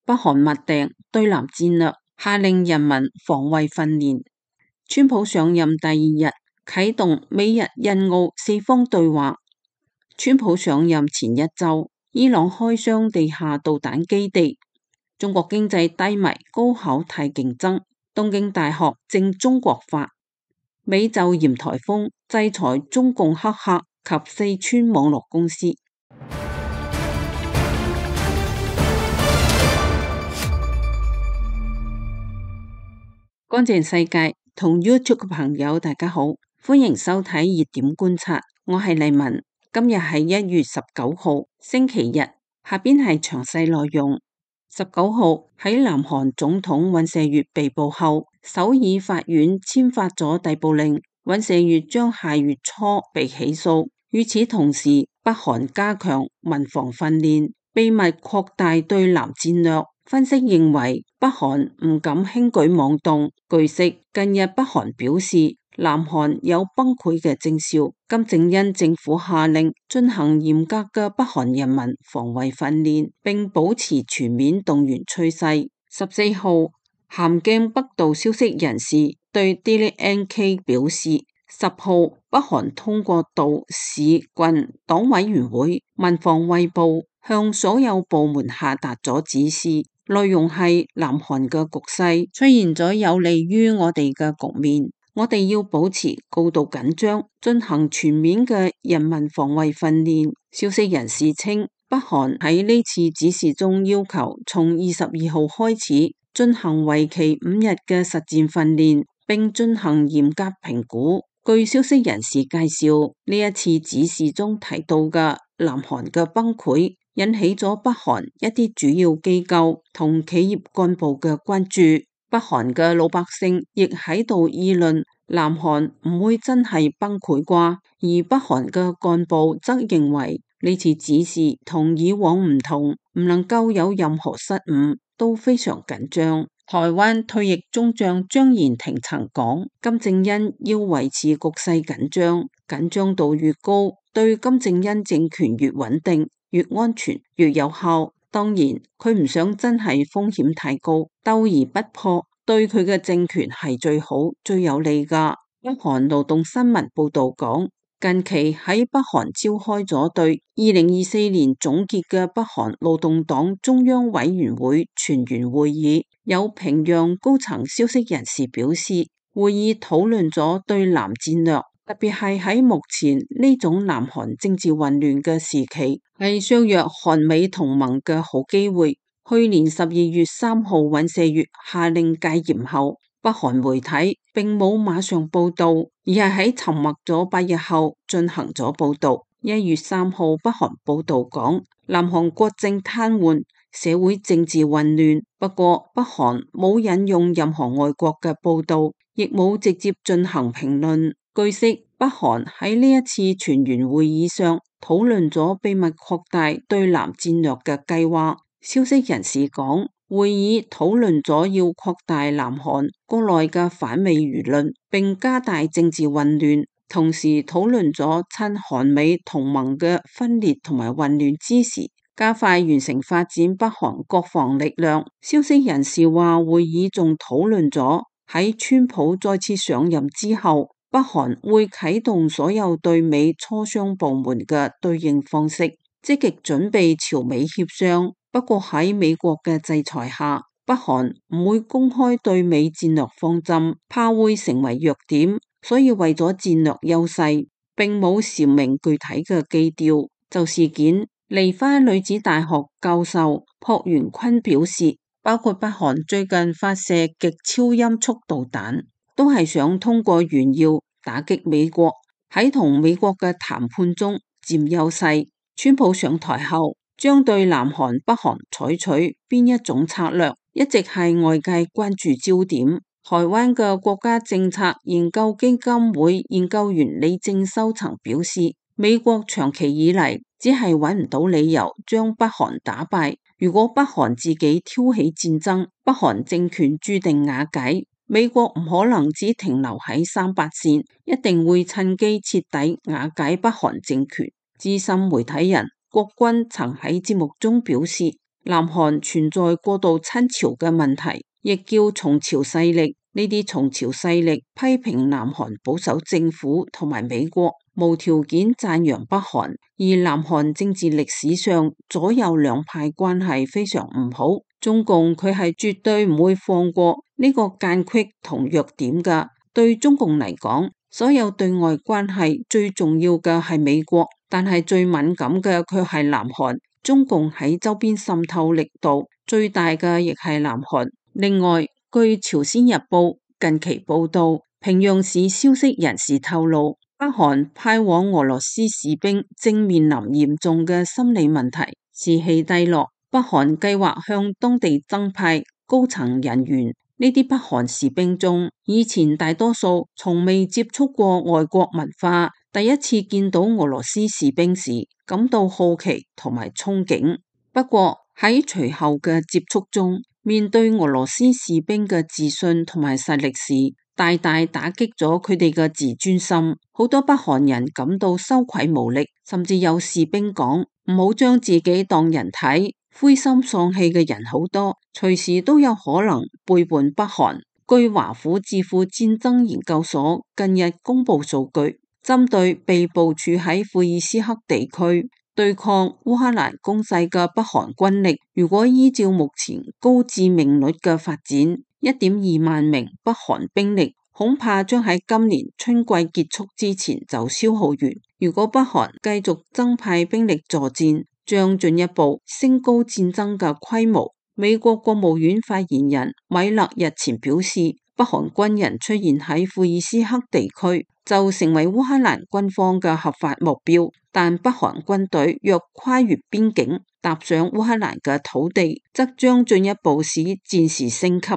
北韓默定對南戰略，下令人民防衛訓練。川普上任第2日啟動美日印澳4方對話。川普上任前1週，伊朗開箱地下導彈基地。中國經濟低迷，高考太競爭，東京大學正中國化。美就嚴颱風制裁中共黑客及四川網絡公司。乾淨世界同 YouTube 嘅朋友大家好，歡迎收睇熱點觀察，我係麗文。今日係1月19號星期日，下邊係詳細內容。19號喺南韓總統尹錫悅被捕後，首爾法院簽發咗逮捕令，尹錫悅將下月初被起訴。與此同時，北韓加強民防訓練，秘密擴大對南戰略。分析認為，北韓唔敢輕舉妄動。據悉，近日北韓表示，南韓有崩潰嘅徵兆。金正恩政府下令進行嚴格嘅北韓人民防衛訓練，並保持全面動員趨勢。14號，咸鏡北道消息人士對 Daily NK 表示，10號北韓通過道市郡黨委員會民防衛部向所有部門下達咗指示，內容係南韓嘅局勢出現咗有利於我哋嘅局面，我哋要保持高度緊張，進行全面嘅人民防衛訓練。消息人士稱，北韓喺呢次指示中要求從22號開始進行為期5日嘅實戰訓練，並進行嚴格評估。據消息人士介紹，呢一次指示中提到嘅南韓嘅崩潰，引起咗北韓一啲主要機構同企業幹部嘅關注。北韓嘅老百姓亦喺度議論，南韓唔會真係崩潰啩？而北韓嘅幹部則認為呢次指示同以往唔同，唔能夠有任何失誤，都非常緊張。台灣退役中將張延廷曾講，金正恩要維持局勢緊張，緊張度越高，對金正恩政權越穩定、越安全、越有效。當然，佢唔想真係風險太高，鬥而不破，對佢嘅政權係最好、最有利㗎。北韓勞動新聞報道講，近期喺北韓召開咗對2024年總結嘅北韓勞動黨中央委員會全員會議，有平壤高層消息人士表示，會議討論咗對南戰略，特別係喺目前呢種南韓政治混亂嘅時期，係削弱韓美同盟嘅好機會。去年12月3號尹錫悅下令戒嚴後，北韓媒體並冇馬上報道，而係喺沉默咗8日後進行咗報道。1月3號北韓報道講，南韓國政癱瘓，社會政治混亂。不過北韓冇引用任何外國嘅報道，亦冇直接進行評論。據悉，北韓喺呢一次全員會議上討論咗秘密擴大對南戰略嘅計劃。消息人士講，會議討論咗要擴大南韓國內嘅反美輿論，並加大政治混亂，同時討論咗趁韓美同盟嘅分裂同埋混亂之時，加快完成發展北韓國防力量。消息人士話，會議仲討論咗喺川普再次上任之後，北韓會啟動所有對美磋商部門嘅對應方式，積極準備朝美協商。不過喺美國嘅制裁下，北韓唔會公開對美戰略方針，怕會成為弱點，所以為咗戰略優勢，並冇闡明具體嘅基調。就事件，梨花女子大學教授朴元坤表示，包括北韓最近發射極超音速導彈，都係想通過炫耀打擊美國，喺同美國嘅談判中佔優勢。川普上台後，將對南韓、北韓採取邊一種策略，一直係外界關注焦點。台灣嘅國家政策研究基金會研究員李正修曾表示，美國長期以嚟只係揾唔到理由將北韓打敗。如果北韓自己挑起戰爭，北韓政權注定瓦解。美國唔可能只停留喺38線，一定會趁機徹底瓦解北韓政權。資深媒體人郭軍曾喺節目中表示，南韓存在過度親朝嘅問題，亦叫崇朝勢力。呢啲崇朝勢力批評南韓保守政府同埋美國，無條件讚揚北韓。而南韓政治歷史上左右兩派關係非常唔好，中共佢係絕對唔會放過呢個間隙同弱點㗎。對中共嚟講，所有對外關係最重要嘅係美國，但係最敏感嘅卻係南韓。中共喺周邊滲透力度最大嘅亦係南韓。另外，據朝鮮日報近期報道，平壤市消息人士透露，北韓派往俄羅斯士兵正面臨嚴重嘅心理問題，士氣低落。北韓計劃向當地增派高層人員。呢啲北韓士兵中，以前大多數從未接觸過外國文化，第一次見到俄羅斯士兵時感到好奇同埋憧憬。不過喺隨後嘅接觸中，面對俄羅斯士兵嘅自信同埋實力時，大大打擊咗佢哋嘅自尊心。好多北韓人感到羞愧無力，甚至有士兵講：唔好將自己當人睇。灰心喪氣嘅人好多，隨時都有可能背叛北韓。據華府智庫戰爭研究所近日公布數據，針對被部署喺庫爾斯克地區對抗烏克蘭攻勢嘅北韓軍力，如果依照目前高致命率嘅發展，1.2萬名北韓兵力恐怕將喺今年春季結束之前就消耗完。如果北韓繼續增派兵力助戰，將進一步升高戰爭嘅規模。美國國務院發言人米勒日前表示，北韓軍人出現喺庫爾斯克地區就成為烏克蘭軍方嘅合法目標，但北韓軍隊若跨越邊境踏上烏克蘭嘅土地，則將進一步使戰事升級。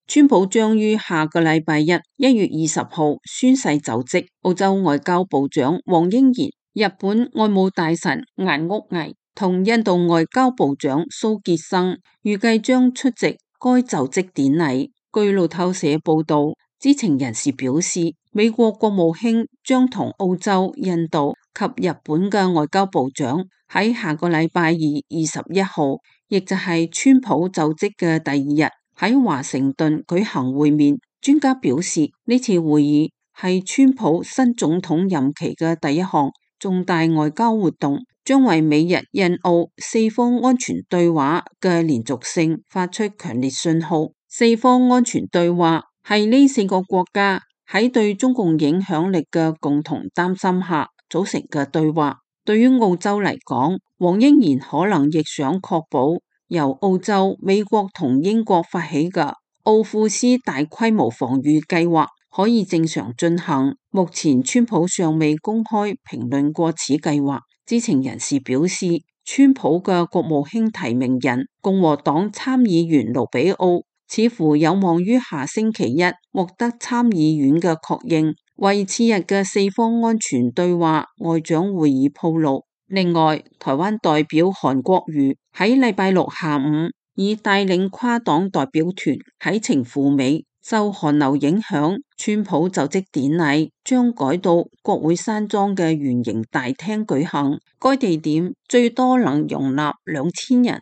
川普將於下個禮拜1月20號宣誓就職。澳洲外交部長黃英賢、日本外務大臣顏屋毅同印度外交部長蘇傑生預計將出席該就職典禮。據路透社報道，知情人士表示，美國國務卿將同澳洲、印度及日本嘅外交部長喺下個禮拜21號，亦就係川普就職嘅第2日，喺華盛頓舉行會面。專家表示，呢次會議係川普新總統任期嘅第一項重大外交活動，將為美日印澳四方安全對話嘅連續性發出強烈信號。四方安全對話係呢4個國家喺對中共影響力嘅共同擔心下組成嘅對話。對於澳洲嚟講，黃英賢可能亦想確保由澳洲、美國同英國發起嘅奧庫斯大規模防禦計劃可以正常進行。目前川普尚未公開評論過此計劃。知情人士表示，川普嘅國務卿提名人共和黨參議員盧比奧似乎有望於下星期1獲得參議院嘅確認，為次日嘅四方安全對話外長會議鋪路。另外，台灣代表韓國瑜喺禮拜6下午已帶領跨黨代表團啟程赴美。受韓流影響，川普就職典禮將改到國會山莊嘅圓形大廳舉行，該地點最多能容納2000人。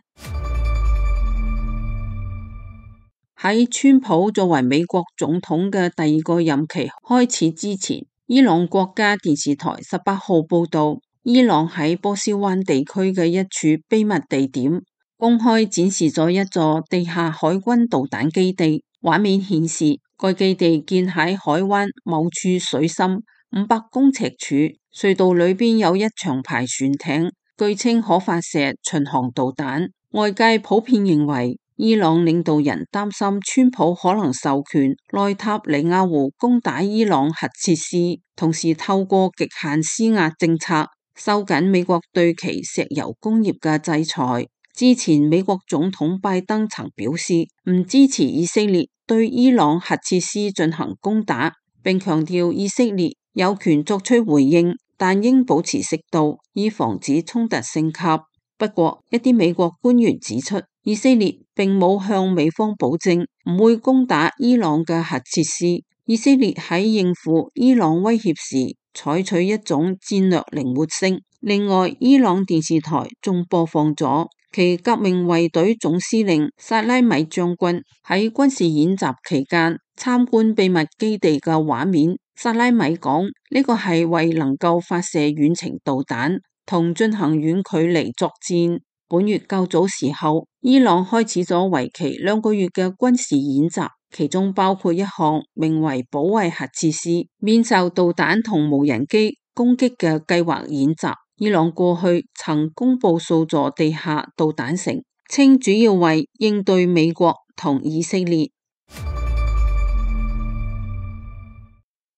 喺川普作為美國總統嘅第2個任期開始之前，伊朗國家電視台18號報道，伊朗喺波斯灣地區嘅一處秘密地點公開展示咗一座地下海軍導彈基地。畫面顯示，該基地建喺海灣某處水深500公尺處，隧道裏邊有一長排船艇，據稱可發射巡航導彈。外界普遍認為，伊朗領導人擔心川普可能授權內塔尼亞胡攻打伊朗核設施，同時透過極限施壓政策收緊美國對其石油工業嘅制裁。之前美國總統拜登曾表示唔支持以色列對伊朗核設施進行攻打，並強調以色列有權作出回應，但應保持適度，以防止衝突升級。不過，一啲美國官員指出，以色列並冇向美方保證唔會攻打伊朗嘅核設施。以色列喺應付伊朗威脅時採取一種戰略靈活性，另外，伊朗電視台仲播放咗其革命衛隊總司令薩拉米將軍喺軍事演習期間參觀秘密基地嘅畫面。薩拉米講，呢個係為能夠發射遠程導彈同進行遠距離作戰。本月較早時候，伊朗開始咗為期2個月嘅軍事演習，其中包括一項名為保衛核設施免受導彈同無人機攻擊嘅計劃演習。伊朗過去曾公布數座地下導彈城，稱主要為應對美國同以色列。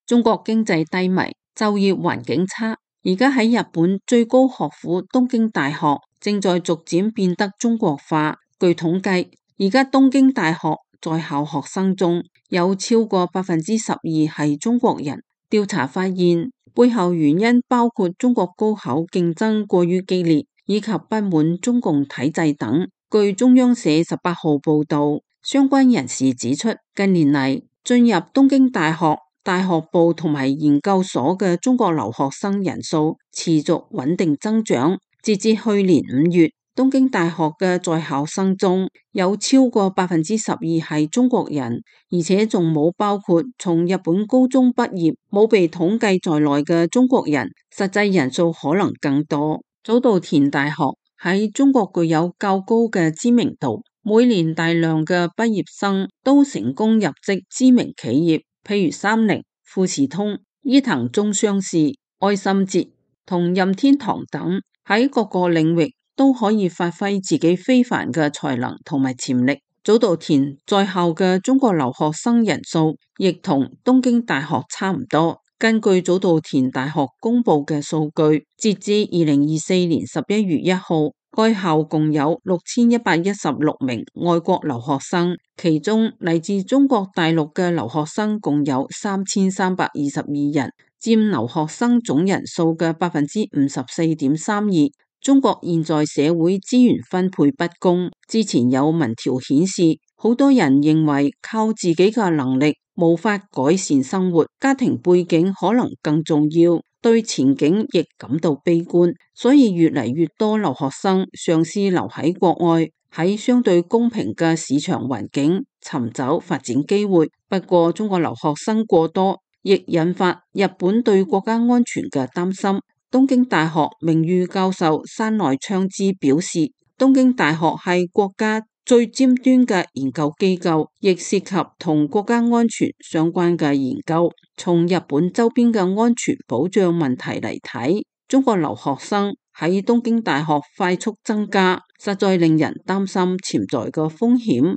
中國經濟低迷，就業環境差，而家喺日本最高學府東京大學正在逐漸變得中國化。據統計，而家東京大學在校學生中有超過12%係中國人。調查發現，背後原因包括中國高考競爭過於激烈，以及不滿中共體制等。據中央社18號報道，相關人士指出，近年嚟進入東京大學大學部同埋研究所嘅中國留學生人數持續穩定增長。截至去年5月，東京大學嘅在校生中有超過12%係中國人，而且仲冇包括從日本高中畢業冇被統計在內嘅中國人，實際人數可能更多。早稻田大學喺中國具有較高嘅知名度，每年大量嘅畢業生都成功入職知名企業，譬如三菱、富士通、伊藤忠商事、愛心捷同任天堂等，喺各個領域都可以發揮自己非凡嘅才能同埋潛力。早稻田在校嘅中國留學生人數亦同東京大學差唔多。根據早稻田大學公布嘅數據，截至2024年11月1號，該校共有6116名外國留學生，其中嚟自中國大陸嘅留學生共有3322人，佔留學生總人數嘅54.32%。中國現在社會資源分配不公，之前有民調顯示，好多人認為靠自己嘅能力無法改善生活，家庭背景可能更重要，對前景亦感到悲觀，所以越嚟越多留學生嘗試留喺國外，喺相對公平嘅市場環境尋找發展機會。不過中國留學生過多，亦引發日本對國家安全嘅擔心。東京大學名譽教授山內昌之表示，東京大學係國家最尖端嘅研究機構，亦涉及同國家安全相關嘅研究。從日本周邊嘅安全保障問題嚟睇，中國留學生喺東京大學快速增加，實在令人擔心潛在嘅風險。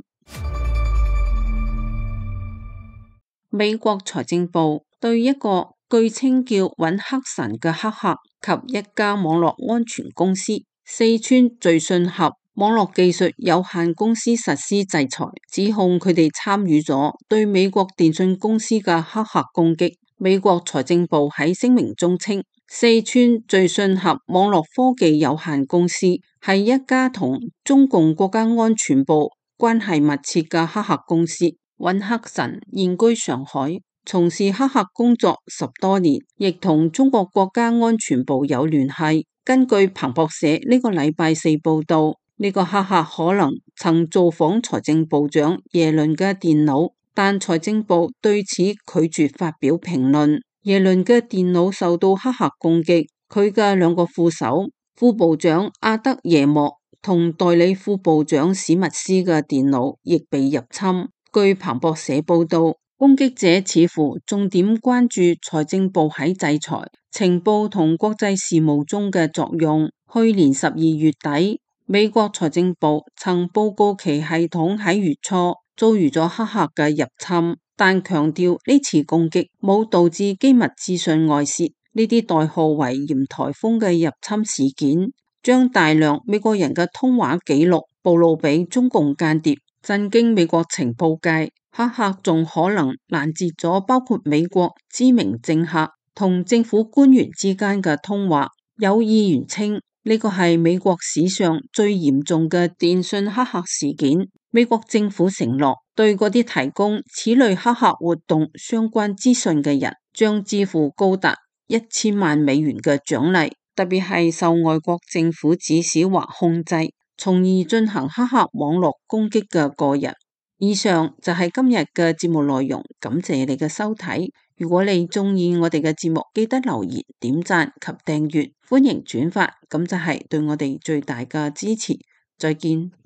美國財政部對一個據稱叫揾黑神嘅黑客及一家網絡安全公司四川聚信合網絡技術有限公司實施制裁，指控佢哋參與咗對美國電信公司嘅黑客攻擊。美國財政部喺聲明中稱，四川聚信合網絡科技有限公司係一家同中共國家安全部關係密切嘅黑客公司。揾黑神現居上海，從事黑客工作10多年，亦同中國國家安全部有聯繫。根據彭博社呢個禮拜4報道，呢個黑客可能曾造訪財政部長耶倫嘅電腦，但財政部對此拒絕發表評論。耶倫嘅電腦受到黑客攻擊，佢嘅2個副手，副部長阿德耶莫同代理副部長史密斯嘅電腦亦被入侵。據彭博社報道，攻擊者似乎重點關注財政部喺制裁、情報同國際事務中嘅作用。去年12月底，美國財政部曾報告其系統喺月初遭遇咗黑客嘅入侵，但強調呢次攻擊冇導致機密資訊外洩。呢啲代號為嚴颱風嘅入侵事件，將大量美國人嘅通話記錄暴露俾中共間諜，震驚美國情報界。黑客仲可能攔截咗包括美國知名政客同政府官員之間嘅通話。有議員稱呢個係美國史上最嚴重嘅電信黑客事件。美國政府承諾對嗰啲提供此類黑客活動相關資訊嘅人，將支付高達1000萬美元嘅獎勵。特別係受外國政府指使或控制，從而進行黑客網絡攻擊嘅個人。以上就係今日嘅節目內容，感謝你嘅收睇。如果你鍾意我哋嘅節目，記得留言、點讚及訂閱，歡迎轉發，咁就係對我哋最大嘅支持。再見。